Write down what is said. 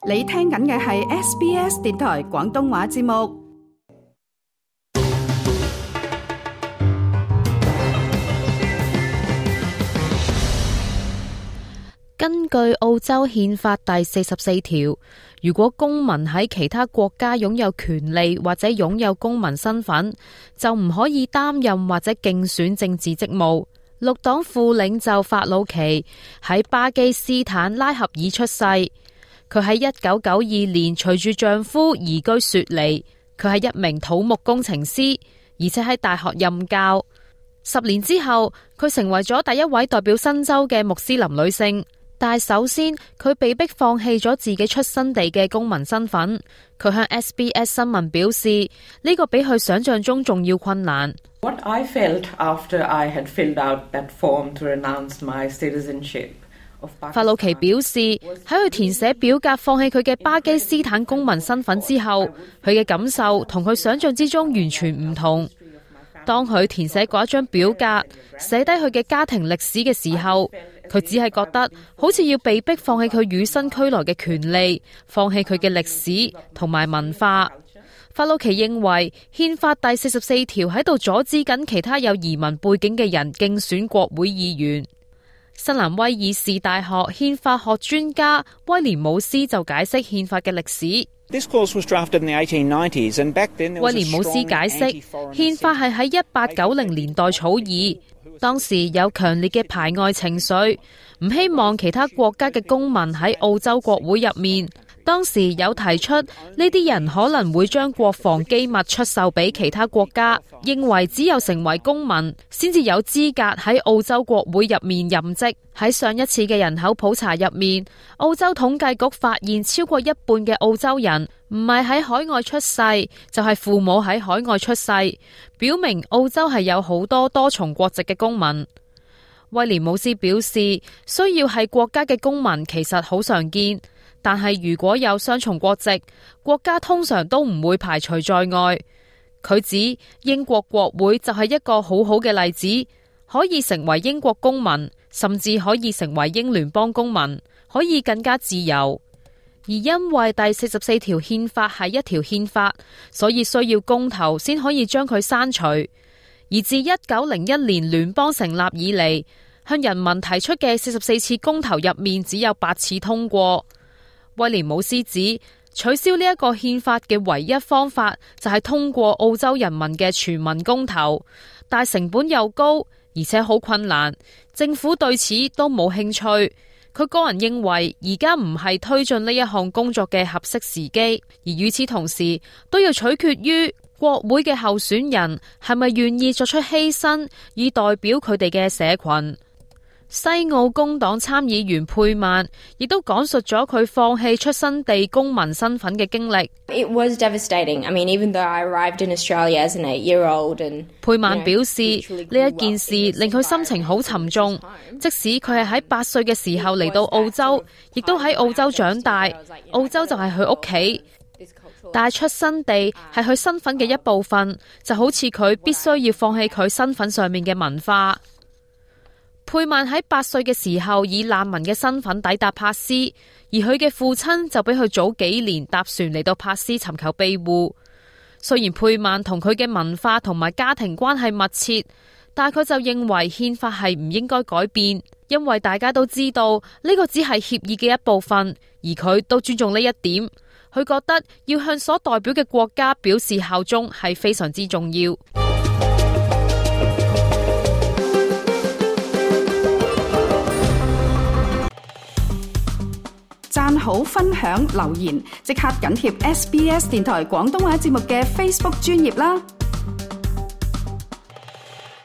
你聽緊嘅係 SBS 電台廣東話節目。根據澳洲憲法第44條，如果公民喺其他國家擁有權利或者擁有公民身份，就唔可以擔任或者競選政治職務。綠黨副領袖法魯奇喺巴基斯坦拉合爾出世。佢喺1992年隨住丈夫移居雪梨，佢係一名土木工程師，而且喺大學任教。10年之後，佢成為咗第一位代表新州嘅穆斯林女性。但係首先，佢被迫放棄咗自己出生地嘅公民身份。佢向 SBS 新聞表示，呢個比佢想象中仲要困難。What I felt after I had filled out that form to renounce my citizenship。法魯奇表示，喺佢填寫表格放棄佢嘅巴基斯坦公民身份之後，佢嘅感受同佢想象之中完全唔同。當佢填寫嗰一張表格，寫低佢嘅家庭歷史嘅時候，佢只係覺得好似要被迫放棄佢與生俱來嘅權利，放棄佢嘅歷史同埋文化。法魯奇認為憲法第44條喺度阻止緊其他有移民背景嘅人競選國會議員。新南威爾士大學憲法學專家威廉姆斯就解釋憲法嘅歷史。威廉姆斯解釋，憲法係喺1890年代草擬，當時有強烈嘅排外情緒，唔希望其他國家嘅公民喺澳洲國會入面。當時有提出呢啲人可能會將國防機密出售俾其他國家，認為只有成為公民先至有資格喺澳洲國會入面任職。喺上一次嘅人口普查入面，澳洲統計局發現超過一半嘅澳洲人唔係喺海外出世，就係父母喺海外出世，表明澳洲係有好多多重國籍嘅公民。威廉姆斯表示，需要係國家嘅公民其實好常見，但係如果有雙重國籍，國家通常都唔會排除在外。佢指英國國會就係一個好好嘅例子，可以成為英國公民，甚至可以成為英聯邦公民，可以更加自由。而因為第44條憲法係一條憲法，所以需要公投先可以將佢刪除。而自1901年聯邦成立以嚟，向人民提出嘅44次公投入面只有8次通過。威廉姆斯指，取消呢一個憲法嘅唯一方法就係通過澳洲人民嘅全民公投，但成本又高，而且好困難，政府對此都冇興趣。佢個人認為而家唔係推進呢一項工作嘅合適時機，而與此同時都要取決於國會嘅候選人係咪願意作出犧牲，以代表佢哋嘅社群。西澳工黨參議員佩曼亦都講述咗佢放棄出生地公民身份嘅經歷。It was devastating. I mean, even though I arrived in Australia as an 8-year-old and 佩曼表示呢一件事令佢心情好沉重，即使佢係喺8歲嘅時候嚟到澳洲，亦都喺澳洲長大，澳洲就係佢屋企。但係出生地係佢身份嘅一部分，就好似佢必須要放棄佢身份上面嘅文化。佩曼喺8歲嘅時候以難民嘅身份抵達珀斯，而佢嘅父親就比佢早幾年搭船嚟到珀斯尋求庇護。雖然佩曼同佢嘅文化同埋家庭關係密切，但佢就認為憲法係唔應該改變，因為大家都知道呢個只係協議嘅一部分，而佢都尊重呢一點。佢覺得要向所代表嘅國家表示效忠係非常之重要。讚好、分享、留言，即刻緊貼SBS 電台廣東話節目嘅 Facebook 專頁啦！